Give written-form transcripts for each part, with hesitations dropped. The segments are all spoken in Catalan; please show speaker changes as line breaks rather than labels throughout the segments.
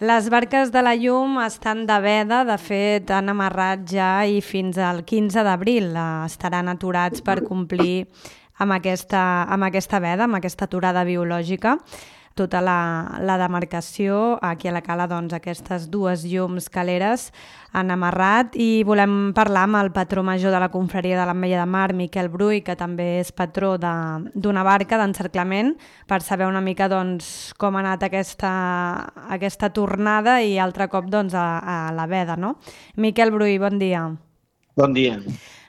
Les barques de la llum estan de veda, de fet han amarrat ja i fins al 15 d'abril estaran aturats per complir amb aquesta veda, amb aquesta aturada biològica. Tota la demarcació, aquí a la cala, doncs, aquestes dues llums caleres han amarrat i volem parlar amb el patró major de la confraria de l'Ametlla de Mar, Miquel Brull, que també és patró d'una barca d'encerclament, per saber una mica doncs, com ha anat aquesta tornada i altre cop doncs, a la veda. No? Miquel Brull, bon dia.
Bon dia.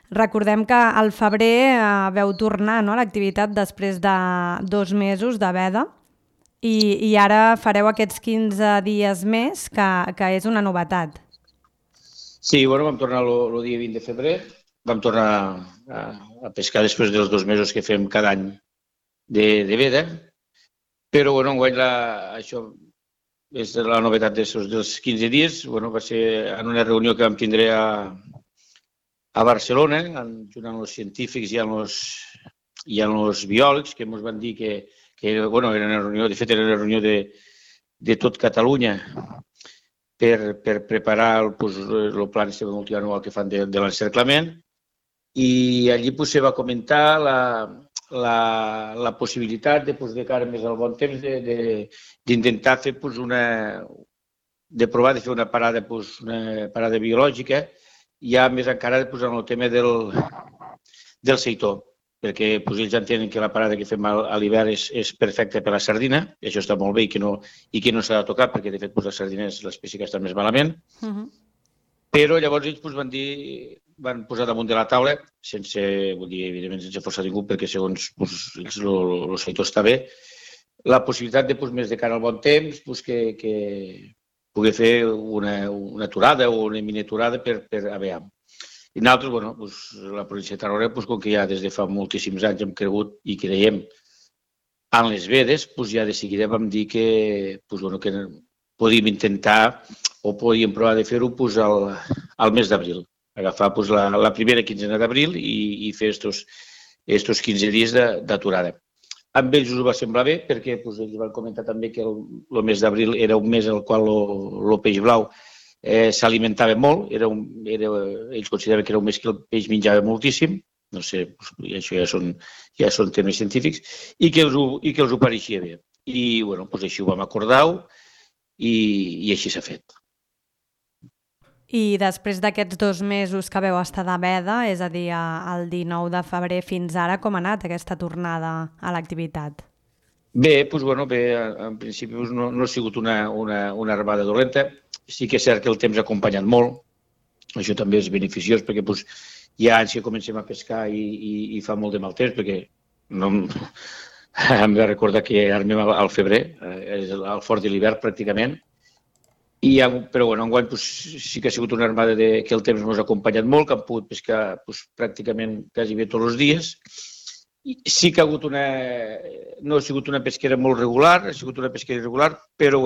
Recordem que al febrer veu tornar, no, a l'activitat després de 2 mesos de veda. I ara fareu aquests 15 dies més, que és una novetat.
Sí, bueno, vam tornar el dia 20 de febrer, vam tornar a pescar després dels 2 mesos que fem cada any de veda, però bueno, enguany això és la novetat dels 15 dies, bueno, va ser en una reunió que vam tindre a Barcelona, junt amb els científics i amb els biòlegs, que ens van dir que bueno, era una reunió, de fet era una reunió de tot Catalunya per preparar el pla multianual que fan de l'encerclament, i allí se va comentar la possibilitat de cara més al bon temps d'intentar fer de provar de fer una parada biològica, ja més encara en el tema del seitó, perquè ells entenen que la parada que fem a l'hivern és perfecta per a la sardina, i això està molt bé i que no s'ha de tocar, perquè de fet la sardina és l'espècie que està més malament. Però llavors ells van posar damunt de la taula, evidentment sense forçar ningú, perquè segons ells el seitó està bé, la possibilitat de, més de cara al bon temps, que pugui fer una aturada o una miniaturada per a veure. I nosaltres, bueno, la província de Tarragona, com que ja des de fa moltíssims anys hem cregut i creiem en les vedes, ja de seguida vam dir que podíem intentar o podíem provar de fer-ho al mes d'abril, agafar la primera quinzena d'abril i fer estos 15 dies d'aturada. Amb ells us va semblar bé perquè ells van comentar també que el mes d'abril era un mes en el qual el peix blau s'alimentava molt, ells consideraven que era un mes que el peix menjava moltíssim, no sé, això ja són temes científics, i que els ho pareixia bé. I bueno, així ho vam acordar i així s'ha fet.
I després d'aquests 2 mesos que veu estar de veda, és a dir, el 19 de febrer fins ara, com ha anat aquesta tornada a l'activitat?
Bé, en principi no ha sigut una armada dolenta. Sí que és cert que el temps ha acompanyat molt, això també és beneficiós perquè ja anys que comencem a pescar i fa molt de mal temps, perquè em va recordar que armem al febrer, és al fort de l'hivern pràcticament, però enguany sí que ha sigut una armada que el temps ens ha acompanyat molt, que hem pogut pescar pràcticament quasi bé tots els dies. Sí que no ha sigut una pesquera molt regular, ha sigut una pesquera irregular, però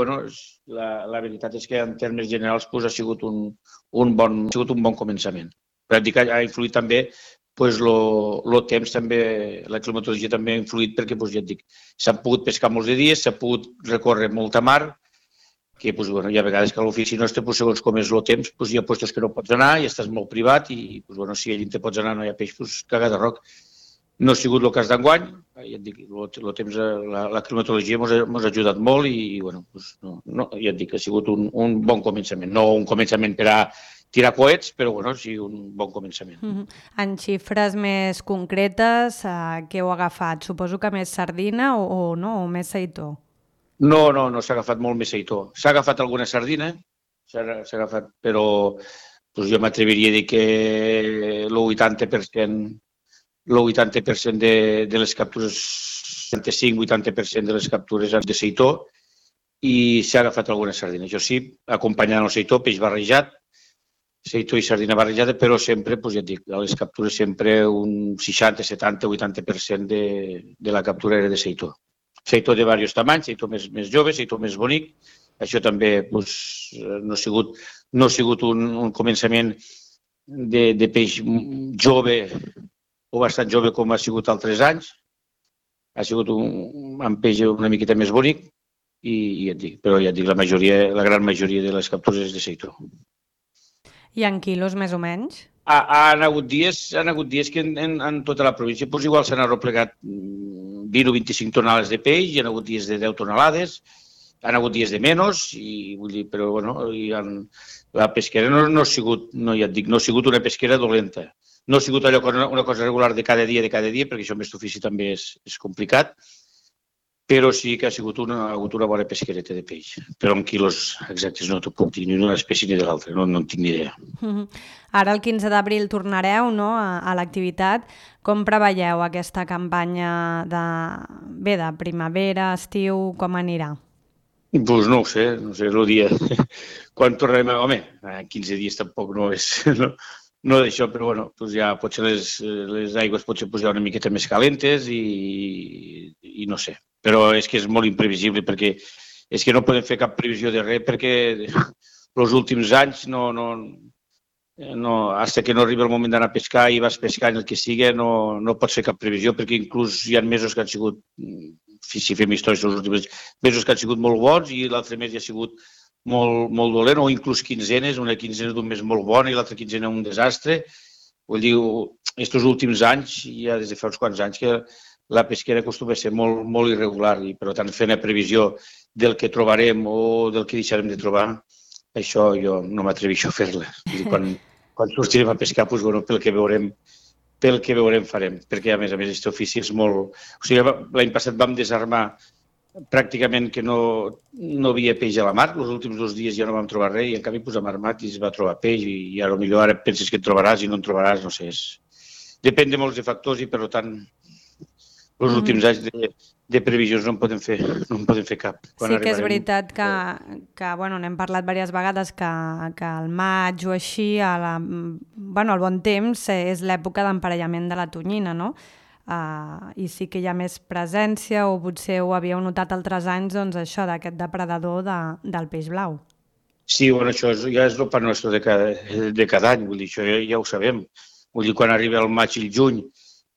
la veritat és que en termes generals ha sigut un bon començament. Ha influït també el temps, la climatologia també ha influït perquè, ja et dic, s'han pogut pescar molts de dies, s'ha pogut recórrer molta mar, que hi ha vegades que a l'ofici nostre, segons com és el temps, hi ha llocs que no pots anar i estàs molt privat i si allà te pots anar no hi ha peix, caga de roc. No ha sigut el cas d'enguany, ja et dic, el temps, la climatologia ens ha ajudat molt i ja et dic, ha sigut un bon començament. No un començament per a tirar coets, però sí un bon començament.
En xifres més concretes, què heu agafat? Suposo que més sardina o no, o més seitó?
No s'ha agafat molt més seitó. S'ha agafat alguna sardina, però jo m'atreviria a dir que el 80% de les captures, 75-80% de les captures han de seitó i s'ha agafat alguna sardina. Això sí, acompanyant el seitó, peix barrejat, seitó i sardina barrejada, però sempre, ja et dic, a les captures sempre un 60, 70, 80% de la captura era de seitó. Seitó de diversos tamanys, seitó més jove, seitó més bonic. Això també no ha sigut un començament de peix jove o bastant jove com ha sigut altres anys. Ha sigut un peix una miqueta més bonic, ja et dic, però ja et dic, la gran majoria de les captures és de seitó.
I en quilos, més o menys?
Han hagut dies que en tota la província doncs igual s'han arreplegat 20 o 25 tonelades de peix, hi ha hagut dies de 10 tonelades, han hagut dies de menys, i vull dir, però bueno, la pesquera no ha sigut, ja et dic, no ha sigut una pesquera dolenta. No ha sigut allò una cosa regular de cada dia, perquè això amb aquest ofici també és complicat, però sí que ha sigut una bona pesquereta de peix. Però en quilos exactes no t'ho puc dir ni d'una espècie ni de l'altra, no en tinc ni idea.
Ara el 15 d'abril tornareu, no?, a l'activitat. Com preveieu aquesta campanya de primavera, estiu, com anirà?
Doncs no ho sé, el dia... Quan tornarem... Home, 15 dies tampoc no és... No d'això, però bueno, doncs ja potser les aigües potser hi ha una miqueta més calentes i no sé. Però és que és molt imprevisible perquè és que no podem fer cap previsió de res perquè els últims anys fins que no arriba el moment d'anar a pescar i vas pescant el que sigui, no pots fer cap previsió perquè inclús hi ha mesos que han sigut, si fem històries els últims mesos que han sigut molt bons i l'altre mes ja ha sigut molt dolent, o inclús quinzenes, una quinzena d'un mes molt bona i l'altra quinzena un desastre. Vull dir, aquests últims anys, ja des de fa uns quants anys, que la pesquera acostuma a ser molt irregular i, per tant, fent la previsió del que trobarem o del que deixarem de trobar, això jo no m'atreveixo a fer-la. Quan sortirem a pescar, doncs, bueno, pel que veurem farem, perquè, a més, aquest ofici és molt... O sigui, l'any passat vam desarmar pràcticament que no havia peix a la mar, els últims 2 dies ja no vam trobar res i en canvi hem armat i es va trobar peix i potser ara penses que et trobaràs i no en trobaràs, no sé. Depèn de molts de factors i per tant els últims anys de previsions no en podem fer cap.
Sí que és veritat que bueno, n'hem parlat diverses vegades que al maig o així, al bon temps, és l'època d'emparellament de la tonyina, no? I sí que hi ha més presència o potser ho havíeu notat altres anys, doncs això, d'aquest depredador del peix blau.
Sí, bueno, això ja és el pa nostre de cada any, vull dir, això ja ho sabem. Vull dir, quan arriba el maig i el juny,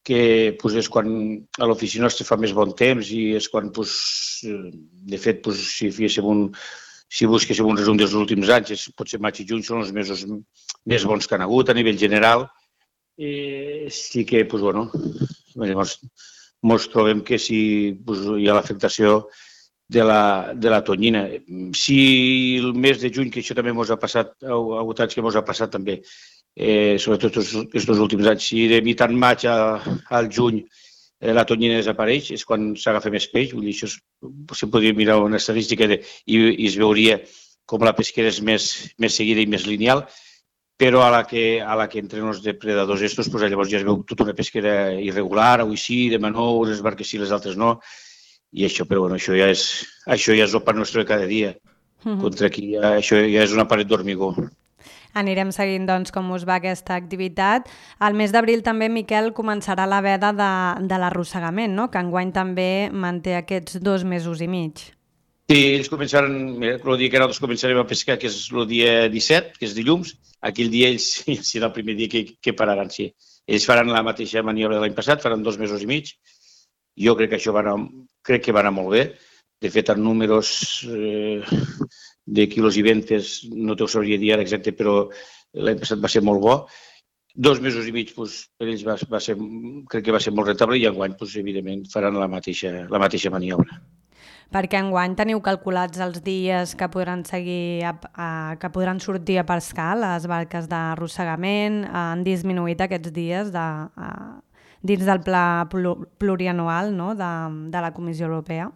que és quan a l'oficina nostra fa més bon temps i és quan, de fet, si busquéssim un resum dels últims anys, potser maig i juny són els mesos més bons que han hagut a nivell general. Sí que, bueno, ens trobem que si hi ha l'afectació de la tonyina. Si el mes de juny, que això també ens ha passat, ha hagut anys que ens ha passat també, sobretot aquests últims anys, si de mitjan maig al juny la tonyina desapareix, és quan s'agafa més peix. Vull dir, això se podria mirar una estadística i es veuria com la pesquera és més seguida i més lineal, però a la que entren els depredadors estos, llavors ja es veu tota una pesquera irregular, avui sí, demà no, unes barques sí, les altres no, i això, però bueno, això ja és el pa nostre de cada dia. Contra aquí, això ja és una paret d'hormigó.
Anirem seguint, doncs, com us va aquesta activitat. Al mes d'abril també, Miquel, començarà la veda de l'arrossegament, no?, que enguany també manté aquests 2 mesos i mig.
Sí, ells començaran, el dia que nosaltres començarem a pescar, que és el dia 17, que és dilluns, aquell dia ells serà el primer dia que pararan, sí. Ells faran la mateixa maniobra de l'any passat, faran 2 mesos i mig. Jo crec que això va anar molt bé. De fet, en números de quilos i ventes no t'ho sabria dir ara exacte, però l'any passat va ser molt bo. 2 mesos i mig per ells crec que va ser molt rentable i enguany, evidentment, faran la mateixa maniobra.
Perquè enguany teniu calculats els dies que podran que podran sortir a pescar les barques d'arrossegament? Han disminuït aquests dies dins del pla plurianual, no?, de la Comissió Europea?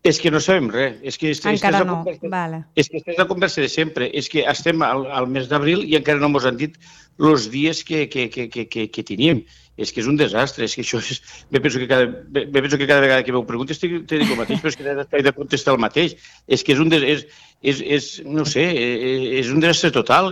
És que no sabem res.
Encara no, vale.
És que és la conversa de sempre. És que estem al mes d'abril i encara no ens han dit els dies que teníem. És que és un desastre. És que això és... Me penso que cada vegada que m'ho preguntes t'he dit el mateix, però és que he de contestar el mateix. És que no sé, és un desastre total.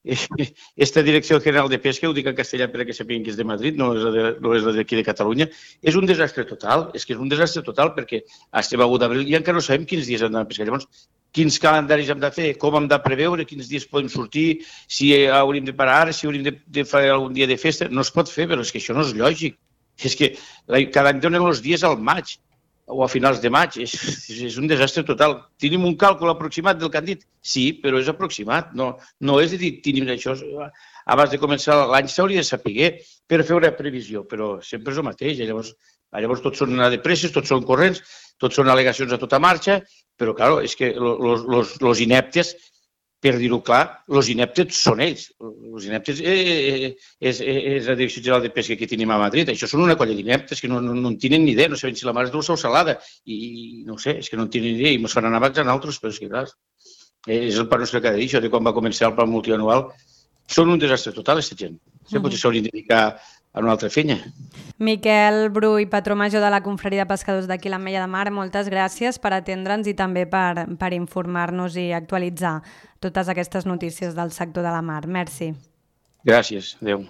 Esta Direcció General de Pesca, ho dic en castellà perquè sapiguin que és de Madrid, no és la d'aquí de Catalunya, és un desastre total, perquè estem a 1 d'abril i encara no sabem quins dies hem d'anar a pescar. Llavors, quins calendaris hem de fer, com hem de preveure, quins dies podem sortir, si hauríem de parar ara, si hauríem de fer algun dia de festa, no es pot fer, però és que això no és lògic. És que cada any donen els dies al maig. o a finals de maig. És un desastre total. Tenim un càlcul aproximat del que han dit? Sí, però és aproximat. No és de dir, tenim això. Abans de començar l'any s'hauria de saber per fer una previsió, però sempre és el mateix. Llavors tots són de presses, tots són corrents, tots són al·legacions a tota marxa, però, clar, és que els ineptes, per dir-ho clar, els ineptes són ells. Els ineptes és la Direcció General de Pesca que tenim a Madrid. Això són una colla d'ineptes que no en tenen ni idea, no saben si la mar és dolça o salada. I no sé, és que no en tenen ni idea i ens faran abans a nosaltres, però és que, clar, és el pa nostre cada dia, això de quan va començar el pla multianual. Són un desastre total, aquesta gent. Potser s'haurien de dedicar a una altra feina.
Miquel Brull, patró major de la Confraria de Pescadors d'aquí l'Ametlla de Mar, moltes gràcies per atendre'ns i també per informar-nos i actualitzar totes aquestes notícies del sector de la mar. Merci.
Gràcies. Adéu.